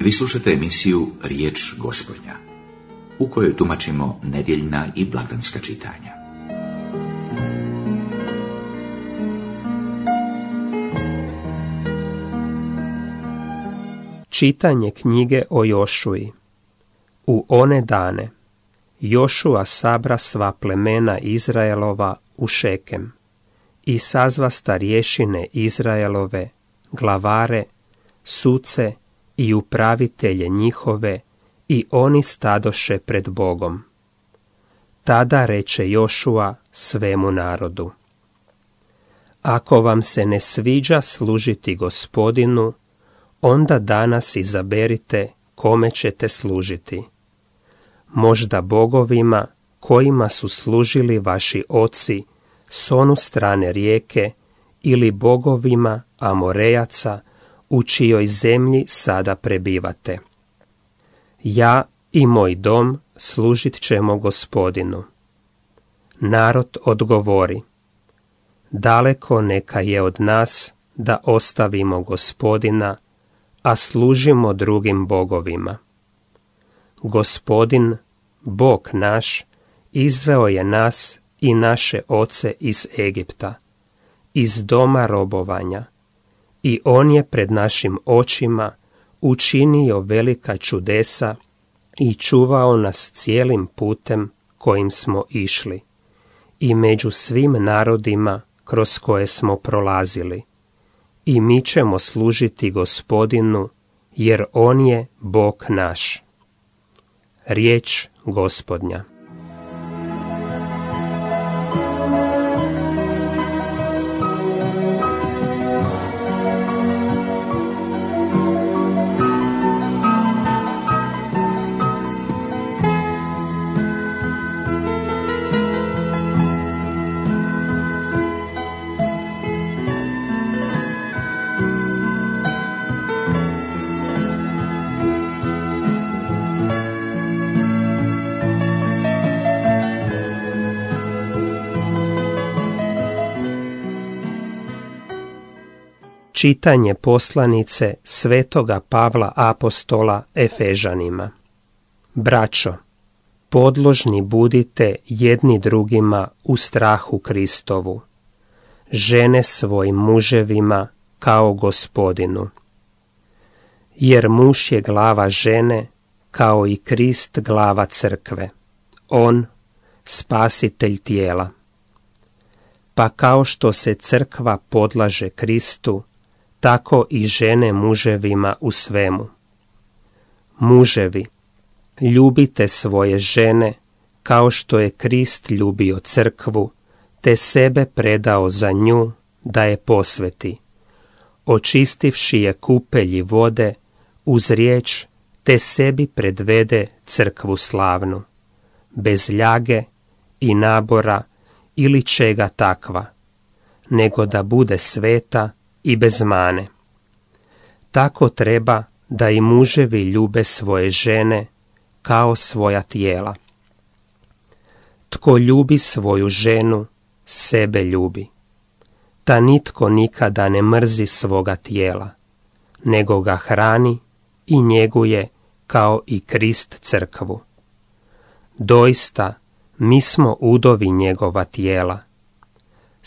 Vi slušate emisiju Riječ Gospodnja, u kojoj tumačimo nedjeljna i blagdanska čitanja. Čitanje knjige o Jošuji. U one dane Jošua sabra sva plemena Izraelova u Šekem i sazva starješine Izraelove, glavare, suce i upravitelje njihove, i oni stadoše pred Bogom. Tada reče Jošua svemu narodu: Ako vam se ne sviđa služiti Gospodinu, onda danas izaberite kome ćete služiti. Možda bogovima kojima su služili vaši oci s onu strane rijeke, ili bogovima Amorejaca u čijoj zemlji sada prebivate. Ja i moj dom služit ćemo Gospodinu. Narod odgovori: Daleko neka je od nas da ostavimo Gospodina, a služimo drugim bogovima. Gospodin, Bog naš, izveo je nas i naše oce iz Egipta, iz doma robovanja, i on je pred našim očima učinio velika čudesa i čuvao nas cijelim putem kojim smo išli i među svim narodima kroz koje smo prolazili. I mi ćemo služiti Gospodinu, jer on je Bog naš. Riječ Gospodnja. Čitanje poslanice svetoga Pavla apostola Efežanima. Braćo, podložni budite jedni drugima u strahu Kristovu. Žene svojim muževima kao Gospodinu. Jer muž je glava žene, kao i Krist glava crkve. On, spasitelj tijela. Pa kao što se crkva podlaže Kristu, tako i žene muževima u svemu. Muževi, ljubite svoje žene kao što je Krist ljubio crkvu, te sebe predao za nju da je posveti, očistivši je kupelji vode uz riječ, te sebi predvede crkvu slavnu, bez ljage i nabora ili čega takva, nego da bude sveta i bez mane. Tako treba da i muževi ljube svoje žene kao svoja tijela. Tko ljubi svoju ženu, sebe ljubi. Ta nitko nikada ne mrzi svoga tijela, nego ga hrani i njeguje kao i Krist crkvu. Doista, mi smo udovi njegova tijela.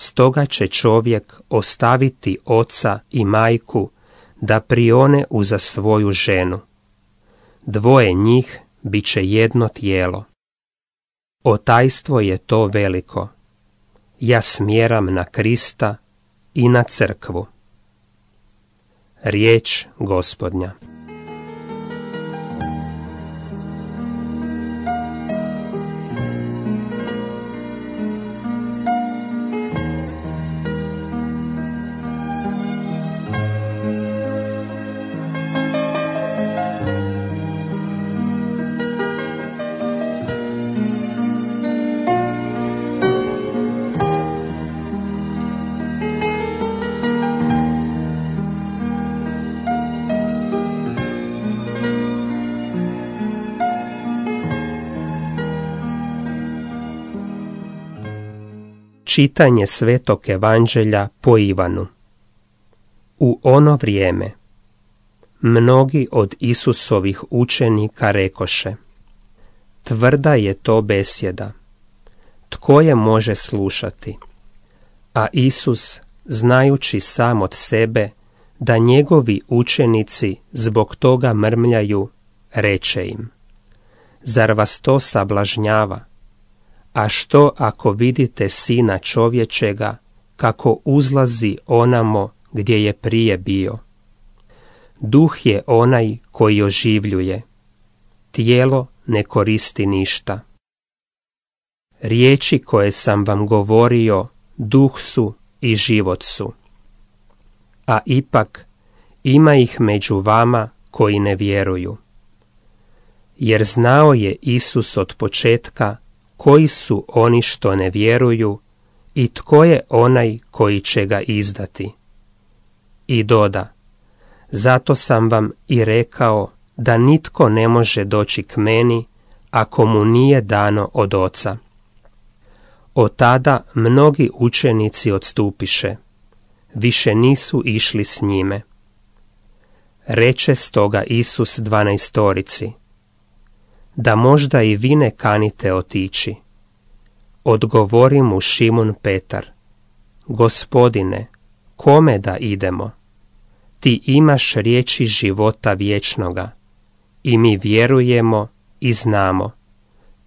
Stoga će čovjek ostaviti oca i majku da prione uza svoju ženu. Dvoje njih bit će jedno tijelo. Otajstvo je to veliko. Ja smjeram na Krista i na crkvu. Riječ Gospodnja. Čitanje Svetog Evanđelja po Ivanu. U ono vrijeme mnogi od Isusovih učenika rekoše: tvrda je to besjeda, tko je može slušati? A Isus, znajući sam od sebe da njegovi učenici zbog toga mrmljaju, reče im: zar vas to sablažnjava? A što ako vidite Sina čovječega kako uzlazi onamo gdje je prije bio? Duh je onaj koji oživljuje, tijelo ne koristi ništa. Riječi koje sam vam govorio duh su i život su. A ipak ima ih među vama koji ne vjeruju. Jer znao je Isus od početka koji su oni što ne vjeruju i tko je onaj koji će ga izdati. I doda: zato sam vam i rekao da nitko ne može doći k meni ako mu nije dano od Oca. Od tada mnogi učenici odstupiše, više nisu išli s njime. Reče stoga Isus 12-torici: da možda i vi ne kanite otići. Odgovori mu Šimun Petar: Gospodine, kome da idemo? Ti imaš riječi života vječnoga i mi vjerujemo i znamo,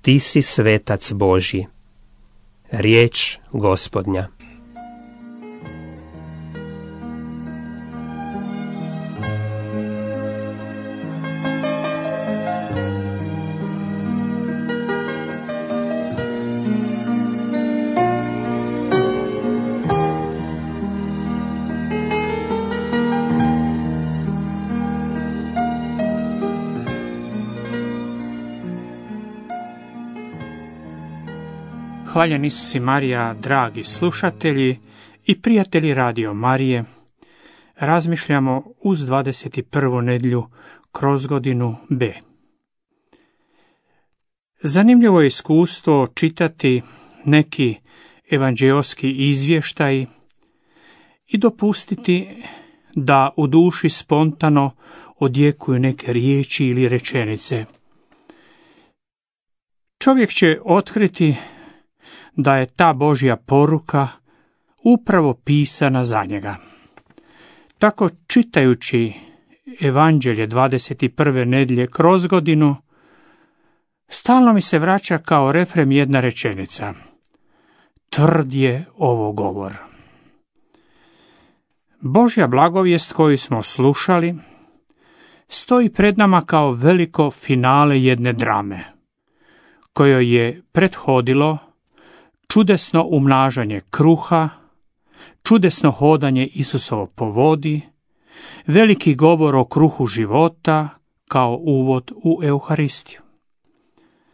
ti si svetac Božji. Riječ Gospodnja. Hvaljen Isus i Marija, dragi slušatelji i prijatelji Radio Marije, razmišljamo uz 21. nedjelju kroz godinu B. Zanimljivo je iskustvo čitati neki evanđeoski izvještaj i dopustiti da u duši spontano odjekuju neke riječi ili rečenice. Čovjek će otkriti da je ta Božja poruka upravo pisana za njega. Tako čitajući Evanđelje 21. nedjelje kroz godinu, stalno mi se vraća kao refren jedna rečenica: tvrd je ovo govor. Božja blagovijest koju smo slušali stoji pred nama kao veliko finale jedne drame, kojoj je prethodilo čudesno umnažanje kruha, čudesno hodanje Isusovo po vodi, veliki govor o kruhu života kao uvod u Euharistiju.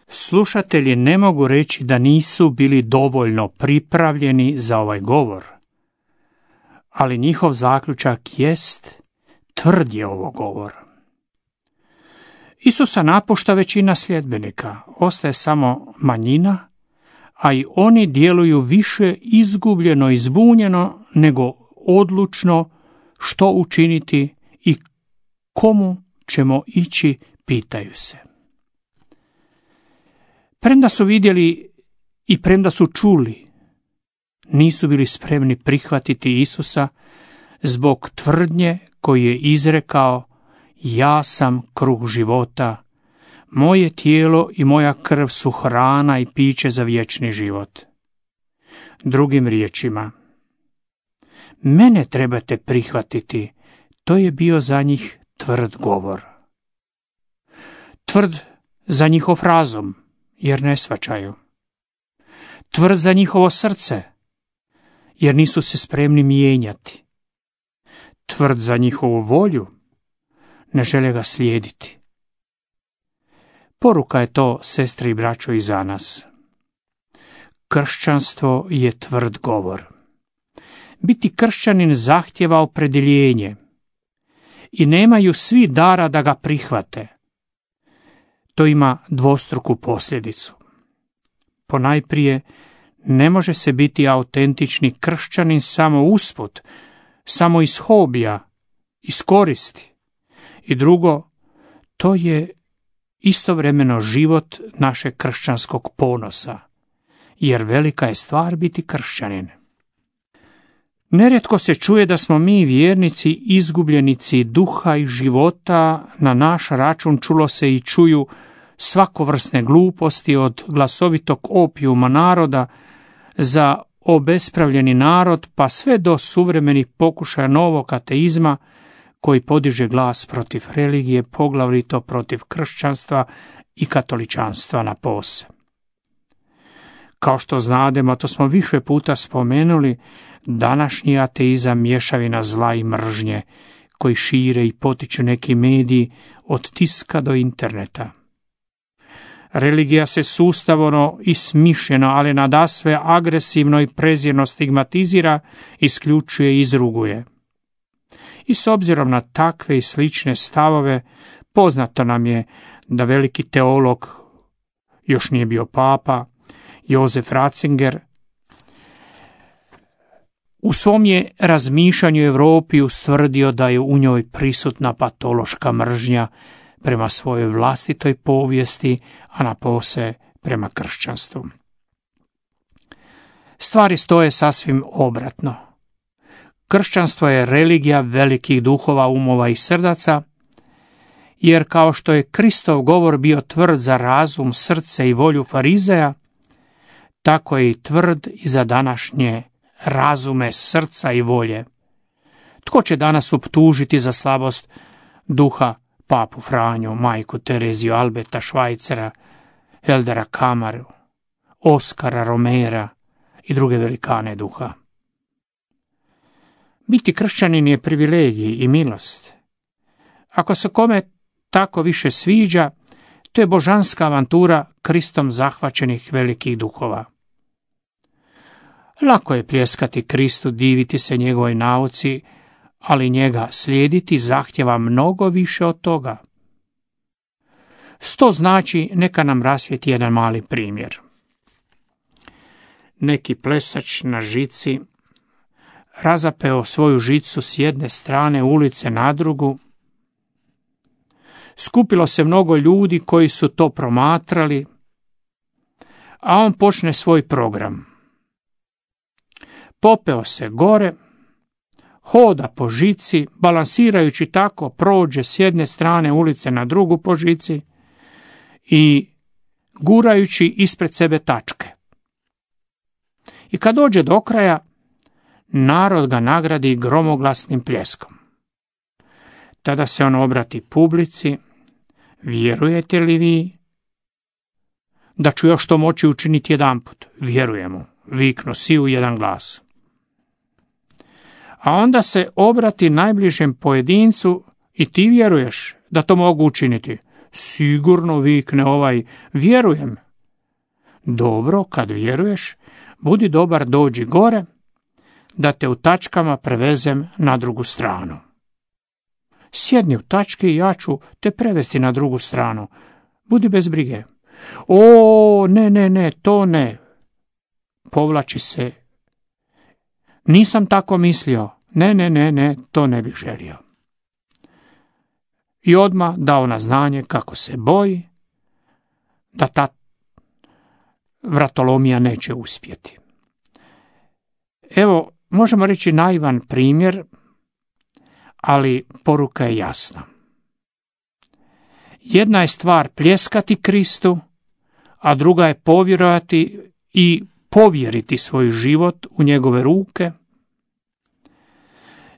Slušatelji ne mogu reći da nisu bili dovoljno pripravljeni za ovaj govor, ali njihov zaključak jest: tvrd je ovo govor. Isusa napušta većina sljedbenika, ostaje samo manjina, a i oni djeluju više izgubljeno i zbunjeno nego odlučno što učiniti i komu ćemo ići, pitaju se. Premda su vidjeli i premda su čuli, nisu bili spremni prihvatiti Isusa zbog tvrdnje koju je izrekao: ja sam kruh života, moje tijelo i moja krv su hrana i piće za vječni život. Drugim riječima, mene trebate prihvatiti, to je bio za njih tvrd govor. Tvrd za njihov razum, jer ne shvaćaju. Tvrd za njihovo srce, jer nisu se spremni mijenjati. Tvrd za njihovu volju, ne žele ga slijediti. Poruka je to, sestre i braćo, i za nas. Kršćanstvo je tvrd govor. Biti kršćanin zahtjeva opredjeljenje i nemaju svi dara da ga prihvate. To ima dvostruku posljedicu. Ponajprije, ne može se biti autentični kršćanin samo usput, samo iz hobija, iz koristi, I drugo, to je istovremeno život našeg kršćanskog ponosa, jer velika je stvar biti kršćanin. Nerijetko se čuje da smo mi vjernici izgubljenici duha i života, na naš račun čulo se i čuju svakovrsne gluposti od glasovitog opijuma naroda za obespravljeni narod, pa sve do suvremenih pokušaja novog ateizma koji podiže glas protiv religije, poglavito protiv kršćanstva i katoličanstva napose. Kao što znademo, to smo više puta spomenuli, današnji ateizam mješavina zla i mržnje koji šire i potiču neki mediji od tiska do interneta. Religija se sustavno i smišljeno, ali nadasve agresivno i prezirno stigmatizira, isključuje i izruguje. I s obzirom na takve i slične stavove, poznato nam je da veliki teolog, još nije bio papa, Josef Ratzinger, u svom je razmišljanju Europi ustvrdio da je u njoj prisutna patološka mržnja prema svojoj vlastitoj povijesti, a napose prema kršćanstvu. Stvari stoje sasvim obratno. Kršćanstvo je religija velikih duhova, umova i srdaca, jer kao što je Kristov govor bio tvrd za razum, srce i volju farizeja, tako je i tvrd i za današnje razume, srca i volje. Tko će danas optužiti za slabost duha papu Franju, majku Tereziju, Alberta Švajcera, Eldera Kamaru, Oskara Romera i druge velikane duha? Biti kršćanin je privilegij i milost. Ako se kome tako više sviđa, to je božanska avantura Kristom zahvaćenih velikih duhova. Lako je pljeskati Kristu, diviti se njegovoj nauci, ali njega slijediti zahtjeva mnogo više od toga. To znači, neka nam rasvijetli jedan mali primjer. Neki plesač na žici razapeo svoju žicu s jedne strane ulice na drugu. Skupilo se mnogo ljudi koji su to promatrali, a on počne svoj program. Popeo se gore, hoda po žici, balansirajući tako prođe s jedne strane ulice na drugu po žici i gurajući ispred sebe tačke. I kad dođe do kraja, narod ga nagradi gromoglasnim pljeskom. Tada se on obrati publici: vjerujete li vi da ću još to moći učiniti jedanput? Vjerujemo, viknu svi u jedan glas. A onda se obrati najbližem pojedincu: i ti vjeruješ da to mogu učiniti? Sigurno, vikne ovaj, vjerujem. Dobro, kad vjeruješ, budi dobar, dođi gore, da te u tačkama prevezem na drugu stranu. Sjedni u tački i ja ću te prevesti na drugu stranu. Budi bez brige. O, ne, to ne. Povlači se. Nisam tako mislio. Ne, to ne bih želio. I odmah dao na znanje kako se boji da ta vratolomija neće uspjeti. Evo, možemo reći naivan primjer, ali poruka je jasna. Jedna je stvar pljeskati Kristu, a druga je povjerovati i povjeriti svoj život u njegove ruke.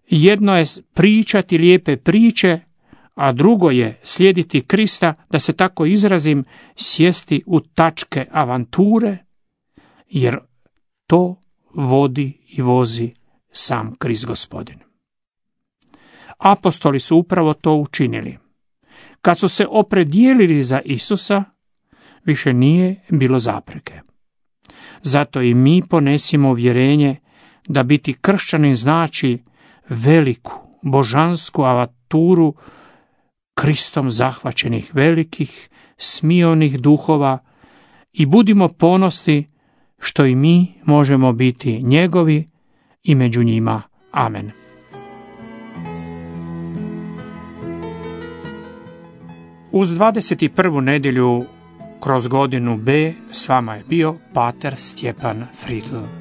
Jedno je pričati lijepe priče, a drugo je slijediti Krista, da se tako izrazim, sjesti u tačke avanture, jer to vodi i vozi sam Krist Gospodin. Apostoli su upravo to učinili. Kad su se opredijelili za Isusa, više nije bilo zapreke. Zato i mi ponesimo uvjerenje da biti kršćanin znači veliku, božansku avanturu Kristom zahvaćenih velikih, smionih duhova i budimo ponosni što i mi možemo biti njegovi i među njima. Amen. Uz 21. nedjelju kroz godinu B s vama je bio pater Stjepan Fridl.